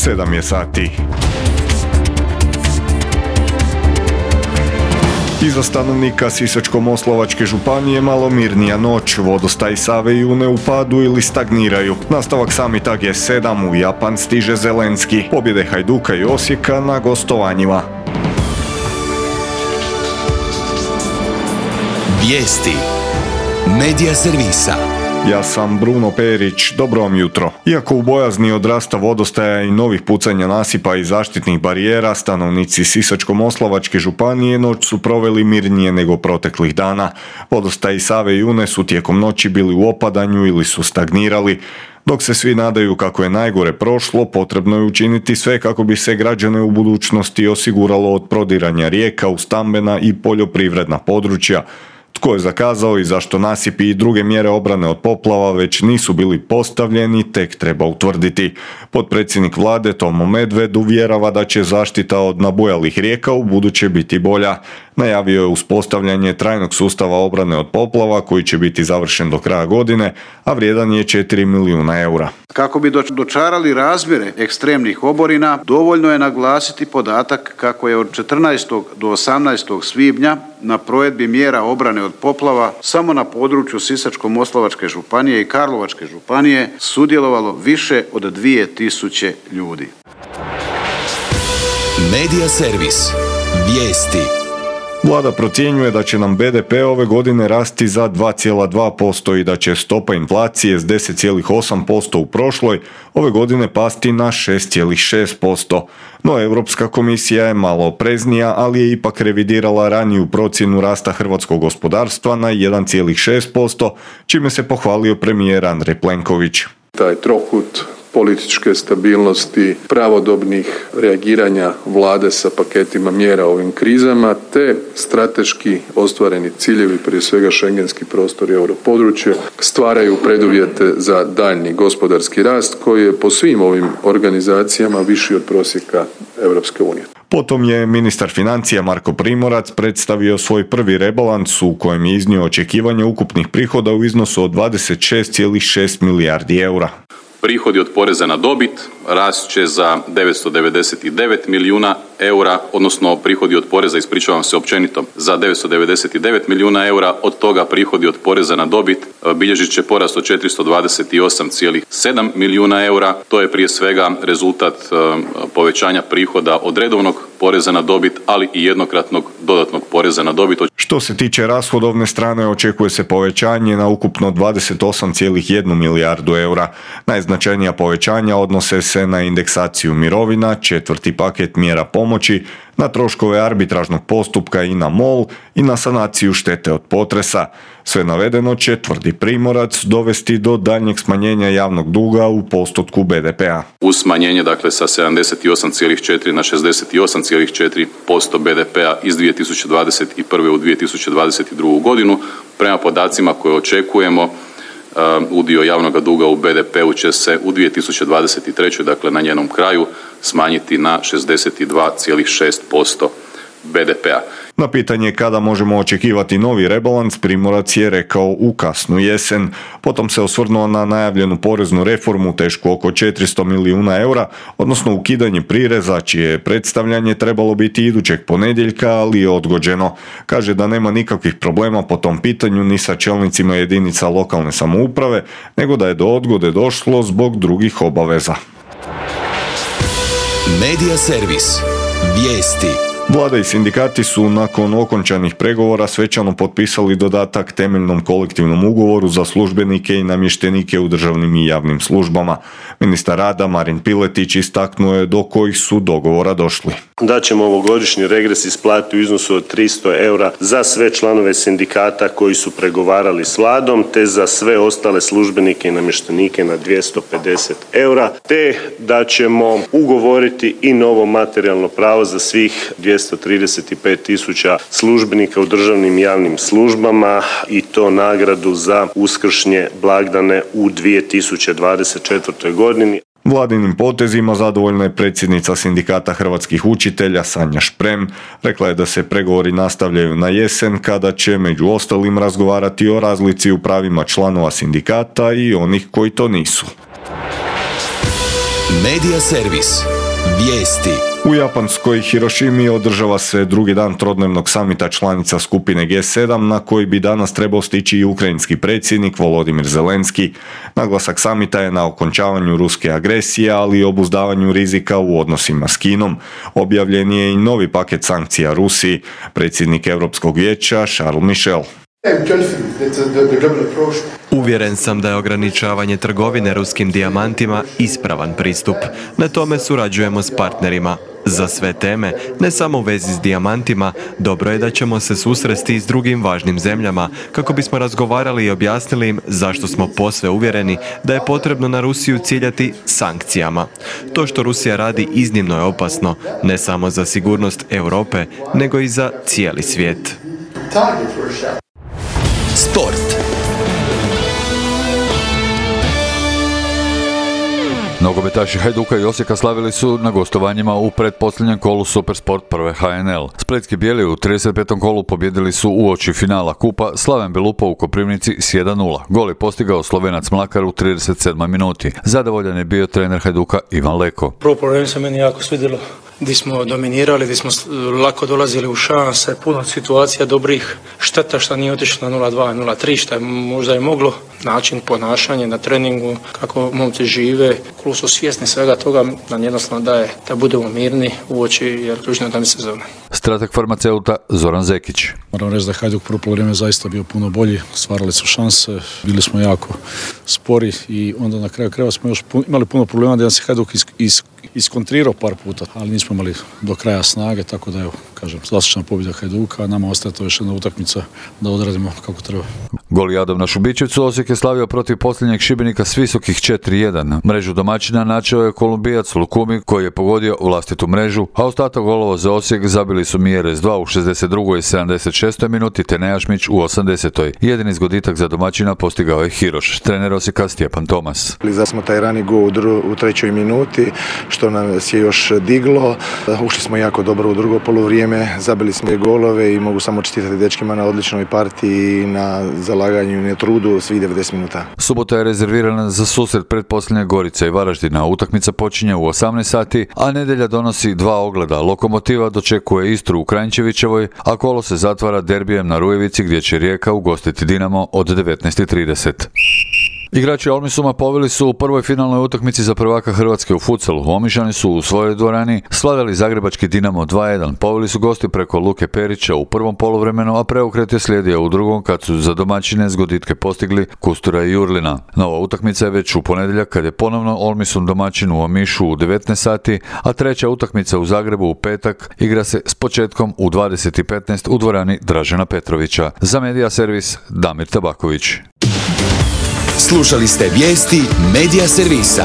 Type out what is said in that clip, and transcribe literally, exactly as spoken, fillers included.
sedam je sati. Iza stanovnika Sisačko-moslavačke županije malo mirnija noć, vodostaji Save i Une u padu ili stagniraju. Nastavak samita G sedam, u Japan stiže Zelenski. Pobjede Hajduka i Osijeka na gostovanjima. Vijesti Medija servisa. Ja sam Bruno Perić, dobro vam jutro. Iako u bojazni od rasta vodostaja i novih pucanja nasipa i zaštitnih barijera, stanovnici Sisačko-moslavačke županije noć su proveli mirnije nego proteklih dana. Vodostaji Save i Une su tijekom noći bili u opadanju ili su stagnirali. Dok se svi nadaju kako je najgore prošlo, potrebno je učiniti sve kako bi se građane u budućnosti osiguralo od prodiranja rijeka u stambena i poljoprivredna područja. Tko je zakazao i zašto nasipi i druge mjere obrane od poplava već nisu bili postavljeni, tek treba utvrditi. Potpredsjednik vlade Tomo Medved uvjerava da će zaštita od nabujalih rijeka u buduće biti bolja. Najavio je uspostavljanje trajnog sustava obrane od poplava koji će biti završen do kraja godine, a vrijedan je četiri milijuna eura. Kako bi dočarali razmjere ekstremnih oborina, dovoljno je naglasiti podatak kako je od četrnaestog do osamnaestog svibnja na provedbi mjera obrane od poplava samo na području Sisačko-moslavačke županije i Karlovačke županije sudjelovalo više od dvije tisuće ljudi. Medija servis. Vijesti. Vlada procjenjuje da će nam be de pe ove godine rasti za dva zarez dva posto i da će stopa inflacije s deset zarez osam posto u prošloj ove godine pasti na šest zarez šest posto. No Europska komisija je malo opreznija, ali je ipak revidirala raniju procjenu rasta hrvatskog gospodarstva na jedan zarez šest posto, čime se pohvalio premijer Andrej Plenković. Taj trokut političke stabilnosti, pravodobnih reagiranja vlade sa paketima mjera ovim krizama, te strateški ostvareni ciljevi, prije svega šengenski prostor i europodručje, stvaraju preduvjete za daljnji gospodarski rast koji je po svim ovim organizacijama viši od prosjeka Europske unije. Potom je ministar financija Marko Primorac predstavio svoj prvi rebalans u kojem je iznio očekivanje ukupnih prihoda u iznosu od dvadeset šest zarez šest milijardi eura. Prihodi od poreza na dobit rast će za devetsto devedeset devet milijuna eura, odnosno prihodi od poreza, ispričavam se općenito, za devetsto devedeset devet milijuna eura, od toga prihodi od poreza na dobit bilježit će porast od četiristo dvadeset osam zarez sedam milijuna eura. To je prije svega rezultat povećanja prihoda od redovnog poreza na dobit, ali i jednokratnog dodatnog poreza na dobit. Što se tiče rashodovne strane, očekuje se povećanje na ukupno dvadeset osam zarez jedna milijardu eura. Najznačajnija povećanja odnose se na indeksaciju mirovina, četvrti paket mjera pomoći, na troškove arbitražnog postupka i na MOL i na sanaciju štete od potresa. Sve navedeno će, tvrdi Primorac, dovesti do daljnjeg smanjenja javnog duga u postotku be de pea. Uz smanjenje dakle sa sedamdeset osam zarez četiri na šezdeset osam zarez četiri posto be de pea iz dvije tisuće dvadeset prve u dvije tisuće dvadeset drugu godinu, prema podacima koje očekujemo, Uh, udio javnog duga u be de peu će se u dvije tisuće dvadeset trećoj dakle na njenom kraju, smanjiti na šezdeset dva zarez šest posto be de pea. Na pitanje kada možemo očekivati novi rebalans, Primorac je rekao u kasnu jesen. Potom se osvrnuo na najavljenu poreznu reformu tešku oko četiristo milijuna eura, odnosno ukidanje prireza, čije predstavljanje trebalo biti idućeg ponedjeljka, ali je odgođeno. Kaže da nema nikakvih problema po tom pitanju ni sa čelnicima jedinica lokalne samouprave, nego da je do odgode došlo zbog drugih obaveza. Medija servis. Vijesti. Vlada i sindikati su nakon okončanih pregovora svečano potpisali dodatak temeljnom kolektivnom ugovoru za službenike i namještenike u državnim i javnim službama. Ministar rada Marin Piletić istaknuo je do kojih su dogovora došli. Da ćemo ovogodišnji regres isplatiti u iznosu od tristo eura za sve članove sindikata koji su pregovarali s vladom, te za sve ostale službenike i namještenike na dvjesto pedeset eura, te da ćemo ugovoriti i novo materijalno pravo za svih dvjesto trideset pet tisuća službenika u državnim i javnim službama, i to nagradu za uskršnje blagdane u dvije tisuće dvadeset četvrtoj godini. Vladinim potezima zadovoljna je predsjednica sindikata hrvatskih učitelja Sanja Šprem. Rekla je da se pregovori nastavljaju na jesen kada će među ostalim razgovarati o razlici u pravima članova sindikata i onih koji to nisu. Medija servis. Vijesti. U japanskoj Hirošimi održava se drugi dan trodnevnog samita članica skupine G sedam na koji bi danas trebao stići i ukrajinski predsjednik Volodimir Zelenski. Naglasak samita je na okončavanju ruske agresije, ali i obuzdavanju rizika u odnosima s Kinom. Objavljen je i novi paket sankcija Rusiji. Predsjednik Europskog vijeća Charles Michel. Uvjeren sam da je ograničavanje trgovine ruskim dijamantima ispravan pristup. Na tome surađujemo s partnerima. Za sve teme, ne samo u vezi s dijamantima, dobro je da ćemo se susresti i s drugim važnim zemljama kako bismo razgovarali i objasnili im zašto smo posve uvjereni da je potrebno na Rusiju ciljati sankcijama. To što Rusija radi iznimno je opasno, ne samo za sigurnost Europe, nego i za cijeli svijet. Sport. Nogometaši Hajduka i Osijeka slavili su na gostovanjima u pretposljednjem kolu Supersport prve H N L. Spletski bijeli u trideset petom kolu pobjedili su uoči finala kupa Slaven Belupa u Koprivnici s jedan nula. Gol je postigao Slovenac Mlakar u trideset sedmoj minuti. Zadovoljan je bio trener Hajduka Ivan Leko. Prvo problem se meni jako svidjelo, gdje smo dominirali, gdje smo lako dolazili u šanse, puno situacija dobrih, šteta što nije otišlo na nula dva, nula tri, što je možda je moglo, način ponašanja na treningu, kako momci žive, klub su svjesni svega toga, nam jednostavno daje da budemo mirni uoči jer ključno je da mi sezona. Strateg farmaceuta Zoran Zekić. Moram reći da je Hajduk prvo poluvreme zaista bio puno bolji, stvarali su šanse, bili smo jako spori i onda na kraju krajeva smo još pun, imali puno problema da se Hajduk is, is, iskontrirao par puta, ali nismo imali do kraja snage, tako da evo, kažem, zaslužena pobjeda Hajduka, a nama ostaje to još jedna utakmica da odradimo kako treba. Gol Jadov na Šubićevcu, Osijek je slavio protiv posljednjeg Šibenika s visokih četiri jedan. Mrežu domaćina načeo je Kolumbijac Lukumi koji je pogodio vlastitu mrežu, a ostatak golova za Osijek zabili su Mieres dva u šezdeset drugoj i sedamdeset šestoj minuti te Nejašmić u osamdesetoj. Jedini zgoditak za domaćina postigao je Hiroš, trener Osijeka Stjepan Tomas. Za smo taj rani gol u, dru, u trećoj minuti, što nas je još diglo. Ušli smo jako dobro u drugo poluvrijeme, zabili smo je golove i mogu samo čestitati dečkima na odličnoj partiji, na zalaganju i na trudu svih devedeset minuta. Subota je rezervirana za susret pretposljednje Gorica i Varaždina. Utakmica počinje u osamnaest sati, a nedjelja donosi dva ogleda. Lokomotiva dočekuje Istru u Kranjčevićevoj, a kolo se zatvara derbijem na Rujevici gdje će Rijeka ugostiti Dinamo od devetnaest i trideset. Igrači Olmisuma poveli su u prvoj finalnoj utakmici za prvaka Hrvatske u futsalu. Omišani su u svojoj dvorani slavili zagrebački Dinamo dva jedan. Poveli su gosti preko Luke Perića u prvom poluvremenu, a preokret je slijedio u drugom kad su za domaćine zgoditke postigli Kustura i Jurlina. Nova utakmica je već u ponedjeljak kad je ponovno Olmisum domaćin u Omišu u devetnaest sati, a treća utakmica u Zagrebu u petak igra se s početkom u dvadeset i petnaest u dvorani Dražena Petrovića. Za Medija servis Damir Tabaković. Slušali ste vijesti Medija servisa.